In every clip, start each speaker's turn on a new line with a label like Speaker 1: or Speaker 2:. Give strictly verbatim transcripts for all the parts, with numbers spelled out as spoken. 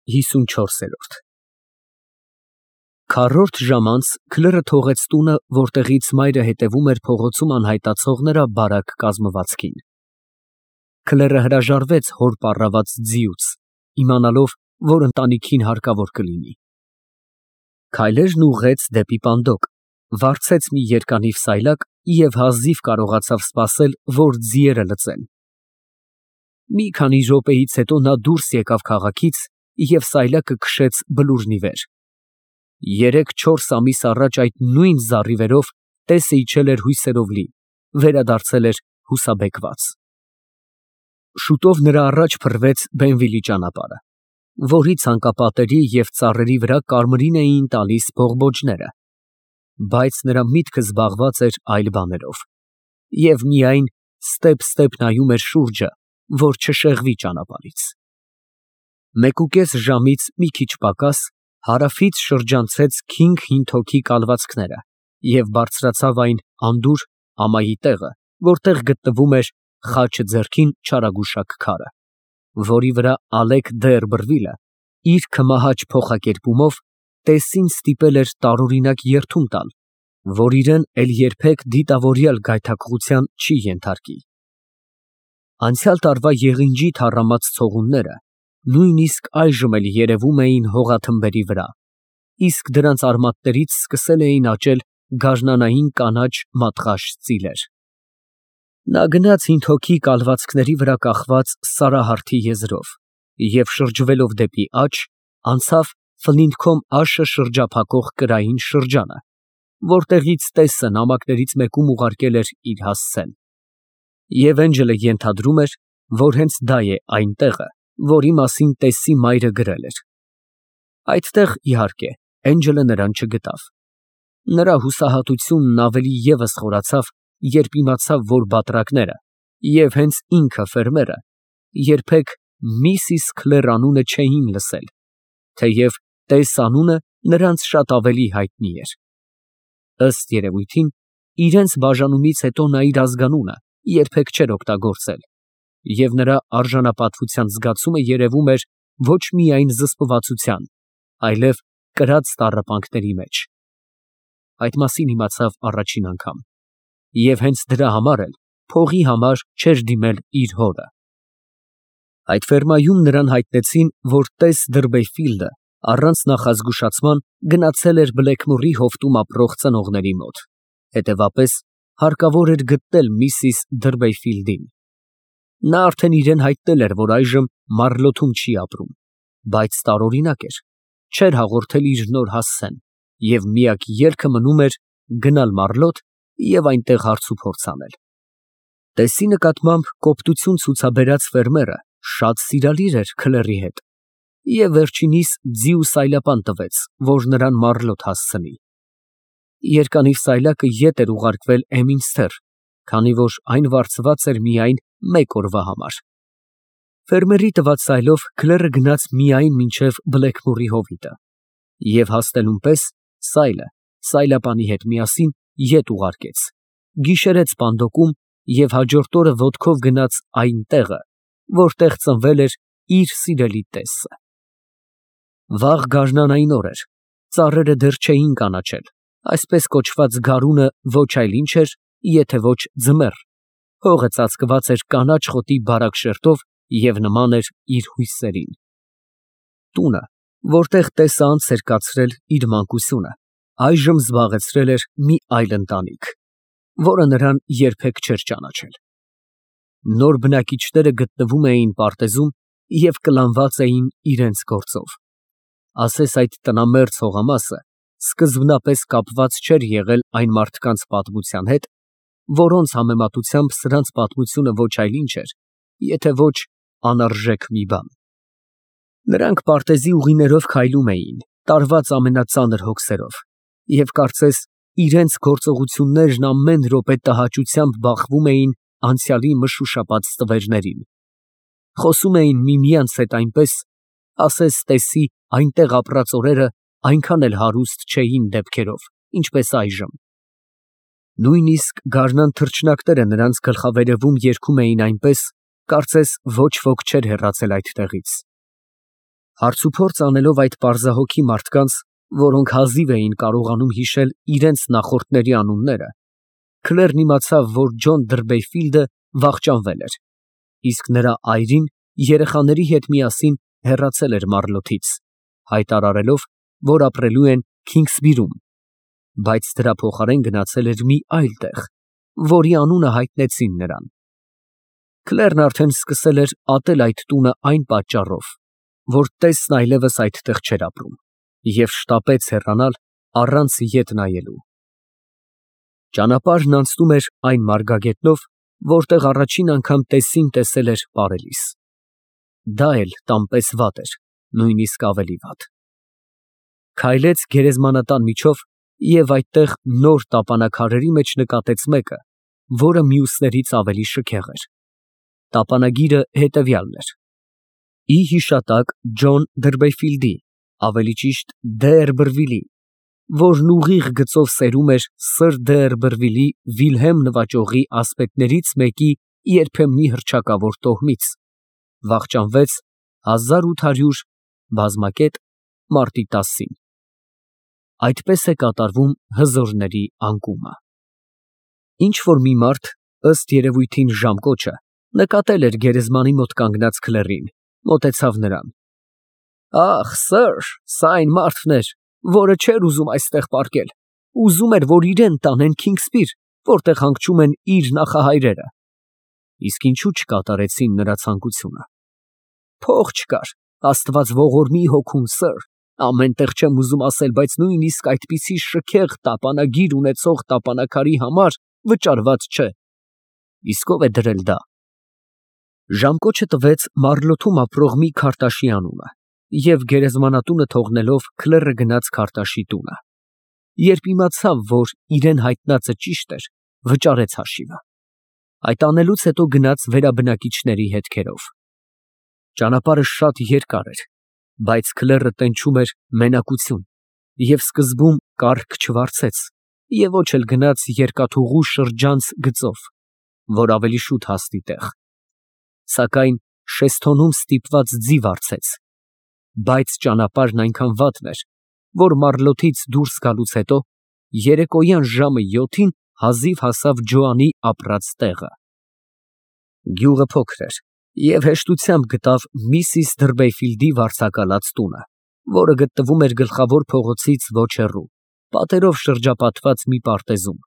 Speaker 1: ՀԻսունչորս Քառորդ ժամ անց Քլերը թողեց տունը, որտեղից մայրը հետևում էր փողոցում անհայտացող նրա բարակ կազմվածքին։ Քլերը հրաժարվեց հոր պառաված ձիուց, իմանալով, որ ընտանիքին հարկավոր կլինի։ Քայլերն ուղղեց դեպի պանդոկ, վարձեց մի երկանիվ սայլակ և հազիվ կարողացավ սպասել, որ ձիերը լծեն։ Մի քանի րոպեից հետո նա դուրս եկավ քաղաքից և սայլակը քշեց բլուրն ի վեր։ Երեք֊չորս ամիս առաջ այդ նույն զառիվերով տեսը իջել էր հույսերով լի, վերադարձել էր հուսաբեկված։ Շուտով նրա առաջ փռվեց Բենվիլի ճանապարհը, որի ցանկապատերի և ծառերի վրա կարմիրին էին տալիս բողբոջները, բայց նրա միտքը զբաղված էր այլ բաներով, և միայն ստեպ֊ստեպ նայում էր շուրջը, որ չշեղվի ճանապարհից։ Մեկուկես ժամից մի քիչ պակաս հարավից շրջանցեց քինգ հինթոքի կալվածքները և բարձրացավ այն անդուր ամայի տեղը, որտեղ գտնվում էր խաչը ձեռքին չարագուշակ քարը, որի վրա Ալեկ Դը֊Էրբրվիլը իր քմահաճ փոխակերպումով տեսին ստիպել էր տարօրինակ երդում տալ, որ իրան էլ երբեք դիտավորյալ գայթակղության չի ենթարկի։ Անցյալ տարվա եղինջի թառամած ցողունները նույնիսկ այժմ էլ երևում էին հողաթմբերի վրա, իսկ դրանց արմատներից սկսել էին աճել գարնանային կանաչ մատղաշ ծիլեր։ Նա գնաց հինթոքի կալվածքների վրա կախված սարահարթի եզրով և շրջվելով դեպի աջ, անցավ Ֆլինթքոմ աշը շրջափակող կրային շրջանը, որտեղից տեսը նամակներից մեկում ուղարկել էր իր հասցեն։ Եվ Էնջելը ենթադրում էր, որ հենց դա է այն տեղը, որի մասին տեսի մայրը գրել էր։ Այդտեղ, իհարկե, Էնջելը նրան չգտավ։ Նրա հուսահատությունն ավելի ևս խորացավ, երբ իմացավ, որ բատրակները և հենց ինքը ֆերմերը երբեք միսիս Քլեր անունը չէին լսել, թեև տես անունը նրանց շատ ավելի հայտնի էր։ Ըստ երևույթին, իրենց բաժանումից հետո նա իր ազգանունը երբեք չէր օգտագործել, և նրա արժանապատվության զգացումը երևում էր ոչ միայն զսպվածության, այլև կրած տառապանքների մեջ։ Այդ մասին իմացավ առաջին անգամ, և հենց դրա համար էլ փողի համար չէր դիմել իր հորը։ Այդ ֆերմայում նրան հայտնեցին, որ տես Դըրբեյֆիլդը առանց նախազգուշացման գնացել էր Բլեքմորի հովտում ապրող ծնողների մոտ, հետևապես հարկավոր էր գտնել միսիս Դըրբեյֆիլդին։ Նա արդեն իրան հայտնել էր, որ այժմ Մարլոթում չի ապրում, բայց տարօրինակ էր, չէր հաղորդել իր նոր հասցեն, և միակ ելքը մնում էր գնալ Մարլոթ և այնտեղ հարցուփորձ անել։ Տեսի նկատմամբ կոպտություն ցուցաբերած ֆերմերը շատ սիրալիր էր Քլերի հետ և վերջինիս ձի ու սայլապան տվեց, որ նրան Մարլոթ հասցնի։ Երկանիվ սայլակը ետ էր ուղարկվել Էմինստր, քանի որ այն վարձված էր միայն մեկ օրվա համար։ Ֆերմերի տված սայլով Քլերը գնաց միայն մինչև Բլեքմորի հովիտը և հասնելուն պես սայլը սայլապանի հետ միասին ետ ուղարկեց, գիշերեց պանդոկում և հաջորդ օրը ոտքով գնաց այն տեղը, որտեղ ծնվել էր իր սիրելի տեսը։ Վաղ գարնանային օր էր, ծառերը դեռ չէին կանաչել, այսպես կոչված գարունը ոչ այլ ինչ էր, եթե ոչ ձմեռ, հողը ծածկված էր կանաչ խոտի բարակ շերտով և նման էր իր հույսերին։ Տունը, որտեղ տեսը անց էր կացրել իր մանկությունը, այժմ զբաղեցրել էր մի այլ ընտանիք, որը նրան երբեք չէր ճանաչել։ Նոր բնակիչները գտնվում էին պարտեզում և կլանված էին իրենց գործով։ Ասես այդ տնամերձ հողամասը սկզբնապես կապված չէր եղել այն մարդկանց պատմության հետ, որոնց համեմատությամբ սրանց պատմությունը ոչ այլ ինչ էր, եթե ոչ անարժեք մի բան։ Նրանք պարտեզի ուղիներով քայլում էին, տարված ամենածանր հոգսերով, և կարծես իրենց գործողություններն ամեն րոպե տհաճությամբ բախվում էին անցյալի մշուշապատ ստվերներին։ Խոսում էին միմյանց հետ այնպես, ասես տեսի այնտեղ ապրած օրերը այնքան էլ հարուստ չէին դեպքերով, ինչպես այժմ։ Նույնիսկ գարնան թռչնակները նրանց գլխավերևում երգում էին այնպես, կարծես ոչ ոք չէր հեռացել այդտեղից։ Հարցուփորձ անելով այդ պարզահոգի մարդկանց, որոնք հազիվ էին կարողանում հիշել իրենց նախորդների անունները, Քլերն իմացավ, որ Ջոն Դրբեյֆիլդը վախճանվել էր, իսկ նրա այրին երեխաների հետ միասին հեռացել էր Մարլոթից, հայտարարելով, որ ապրելու են Քինգսբիրում, բայց դրա փոխարեն գնացել էր մի այլ տեղ, որի անունը հայտնեցին նրան։ Քլերն արդեն սկսել էր ատել այդ տունը այն պատճառով, որ տեսն այլևս այդտեղ չէր ապրում, և շտապեց հեռանալ առանց ետ նայելու։ Ճանապարհն անցնում էր այն մարգագետնով, որտեղ առաջին անգամ տեսին տեսել էր պարելիս։ Դա էլ տան պես վատ էր, նույնիսկ ավելի վատ։ Քայլեց գերեզմանատան միջով և այդտեղ նոր տապանաքարերի մեջ նկատեց մեկը, որը մյուսներից ավելի շքեղ էր։ Տապանագիրը հետևյալն էր. ի հիշատակ Ջոն Դրբեյֆիլդի, ավելի ճիշտ Դերբրվիլի, որն ուղիղ գծով սերում էր սըր Դերբրվիլի Վիլհելմ նվաճողի ասպետներից մեկի երբեմնի հռչակավոր տոհմից, վախճանվեց հազար ութ հարյուր բազմակետ մարտի տասին։ Այդպես է կատարվում հզորների անկումը։ Ինչ֊որ մի մարդ, ըստ երևույթին ժամկոչը, նկատել էր գերեզմանի մոտ կանգնած Քլերին, մոտեցավ նրան։ Ախ, սըր, սա այն մարդն էր, որը չէր ուզում այստեղ պառկել, ուզում էր, որ իրան տանեն Քինգսբիր, որտեղ հանգչում են իր նախահայրերը։ Իսկ ինչու չկատարեցին նրա ցանկությունը։ Փող չկար, Աստված ողորմի հոգուն, սըր, ամեն տեղ չեմ ուզում ասել, բայց նույնիսկ այդպիսի շքեղ տապանագիր ունեցող տապանաքարի համար վճարված չէ։ Իսկ ով է դրել դա։ Ժամկոչը տվեց Մարլոթում ապրող մի քարտաշի անունը և գերեզմանատունը թողնելով Քլերը գնաց քարտաշի տունը։ Երբ իմացավ, որ իրան հայտնածը ճիշտ էր, վճարեց հաշիվը։ Այդ անելուց հետո գնաց վերաբնակիչների հետքերով։ Ճանապարհը շատ երկար էր, բայց Քլերը տենչում էր մենակություն և սկզբում կառք չվարձեց և ոչ էլ գնաց երկաթուղու շրջանց գծով, որ ավելի շուտ հասնի տեղ, սակայն շեստոնում ստիպված ձի վարձեց, բայց ճանապարհն այնքան վատն էր, որ Մարլոթից դուրս գալուց հետո երեկոյան ժամը յոթին հազիվ հասավ Ջոանի ապրած տեղը։ Գյուղը փոքր էր և հեշտությամբ գտավ միսիս Դրբեյֆիլդի վարձակալած տունը, որը գտնվում էր գլխավոր փողոցից ոչ հեռու, պատերով շրջապատված մի պարտեզում։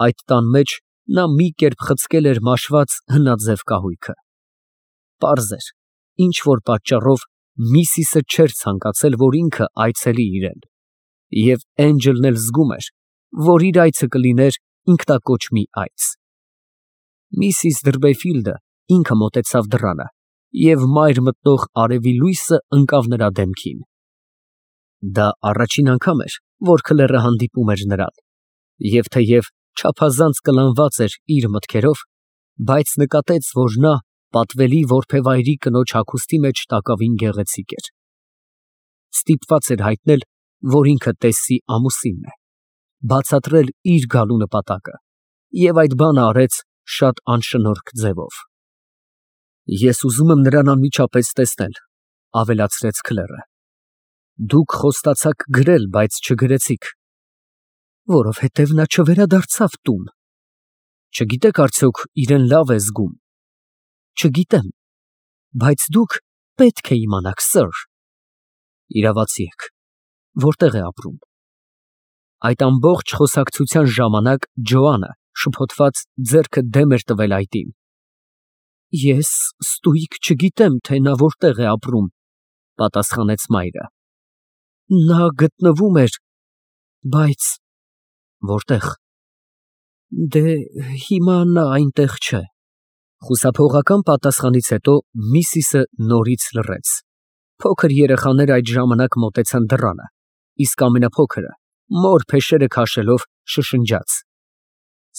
Speaker 1: Այդ տան մեջ նա մի կերպ խցկել էր մաշված հնաձև կահույքը։ Պարզ էր, ինչ֊որ պատճառով միսիսը չէր ցանկացել, որ ինքը այցելի իրան, և Էնջելն էլ զգում էր, որ իր այցը կլիներ ինքնակոչ մի այց։ Միսիս Դրբեյֆիլդը ինքը մոտեցավ դռանը և մայր մտնող արևի լույսը ընկավ նրա դեմքին։ Դա առաջին անգամ էր, որ Քլերը հանդիպում էր նրան, և թեև չափազանց կլանված էր իր մտքերով, բայց նկատեց, որ նա պատվելի որբևայրի կնոջ հագուստի մեջ տակավին գեղեցիկ էր։ Ստիպված էր հայտնել, որ ինքը տեսի ամուսինն է, բացատրել իր գալու նպատակը, և այդ բանը արեց շատ անշնորհք ձևով։ Ես ուզում եմ նրան անմիջապես տեսնել, ավելացրեց Քլերը։ Դուք խոստացաք գրել, բայց չգրեցիք։ Որովհետև նա չվերադարձավ տուն։ Չգիտեք արդյոք իրան լավ է զգում։ Չգիտեմ, բայց դուք պետք է իմանաք, սըր։ Իրավացի եք, որտեղ է ապրում։ Այդ ամբողջ խոսակցության ժամանակ Ջոանը շփոթված ձեռքը դեմ էր տվել այտին։ Ես ստույգ չգիտեմ, թե նա որտեղ է ապրում, պատասխանեց մայրը։ Նա գտնվում էր, բայց որտեղ։ Դե հիմա նա այնտեղ չէ։ Խուսափողական պատասխանից հետո միսիսը նորից լռեց։ Փոքր երեխաները այդ ժամանակ մոտեցան դռանը, իսկ ամենափոքրը, մոր փեշերը քաշելով, շշնջաց.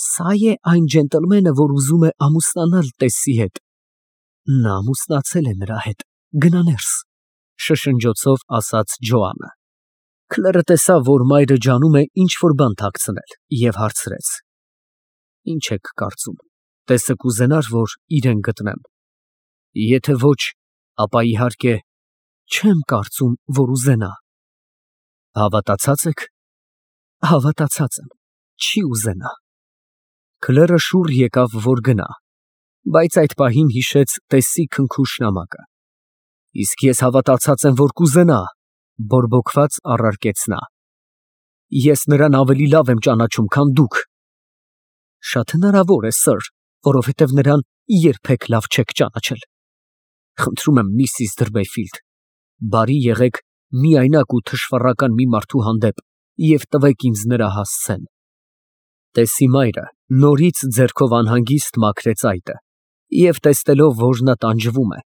Speaker 1: Սա է այն ջենտլմենը, որ ուզում է ամուսնանալ տեսի հետ։ Նա ամուսնացել է նրա հետ, գնա ներս, շշնջոցով ասաց Ջոանը։ Քլերը տեսավ, որ մայրը ջանում է ինչ-որ բան թաքցնել, և հարցրեց. Ինչ եք կարծում, տեսը կուզենա՞ր, որ իրան գտնեմ։ Եթե ոչ, ապա իհարկե Չեմ կարծում, որ ուզենա։ Հավատացած եք։ Հավատացած եմ, չի ուզենա։ Քլերը շուռ եկավ, որ գնա, բայց այդ պահին հիշեց Տեսսի քնքուշ նամակը։ Իսկ ես հավատացած եմ, որ կուզենա, բորբոքված առարկեց նա։ Ես նրան ավելի լավ եմ ճանաչում, քան դուք։ Շատ հնարավոր է, սըր, որովհետև նրան երբեք լավ չեք ճանաչել։ Խնդրում եմ, միսիս Դրբեֆիլդ, բարի եղեք միայնակ ու թշվառական մի մարդու հանդեպ և տվեք ինձ նրա հասցեն։ Տեսսի մայրը նորից ձեռքով անհանգիստ մաքրեց այտը և տեսնելով, որ նա տանջվում է,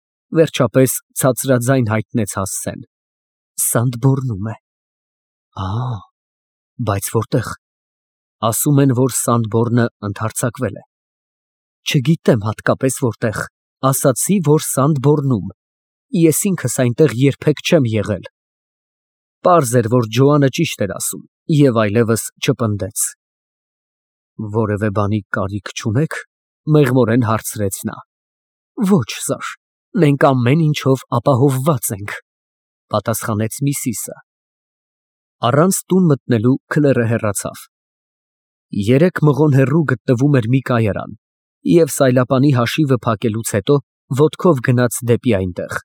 Speaker 1: վերջապես ցածրաձայն հայտնեց հասցեն։ Սանդբորնում է։ Ա, բայց որտե՞ղ։ Ասում են, որ Սանդբորնը ընդհարձակվել է։ Չգիտեմ հատկապես որտեղ, ասացի, որ Սանդբորնում, ես ինքս այնտեղ երբեք չեմ եղել։ Պարզ էր, որ Ջոանը ճիշտ էր ասում և այլևս չպնդեց։ Որևէ բանի կարիք չունե՞ք, մեղմորեն հարցրեց նա։ Ոչ, սըր, մենք ամեն ինչով ապահովված ենք, պատասխանեց միսիսը։ Առանց տուն մտնելու քլերը հեռացավ։ Երեք մղոն հեռու գտնվում էր մի կայարան, և սայլապանի հաշիվը փակելուց հետո ոտքով գնաց դեպի այնտեղ։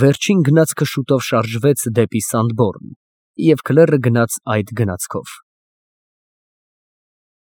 Speaker 1: Վերջին գնացքը շուտով շարժվեց դեպի Սանդբորն, և քլերը գնաց այդ գնացքով։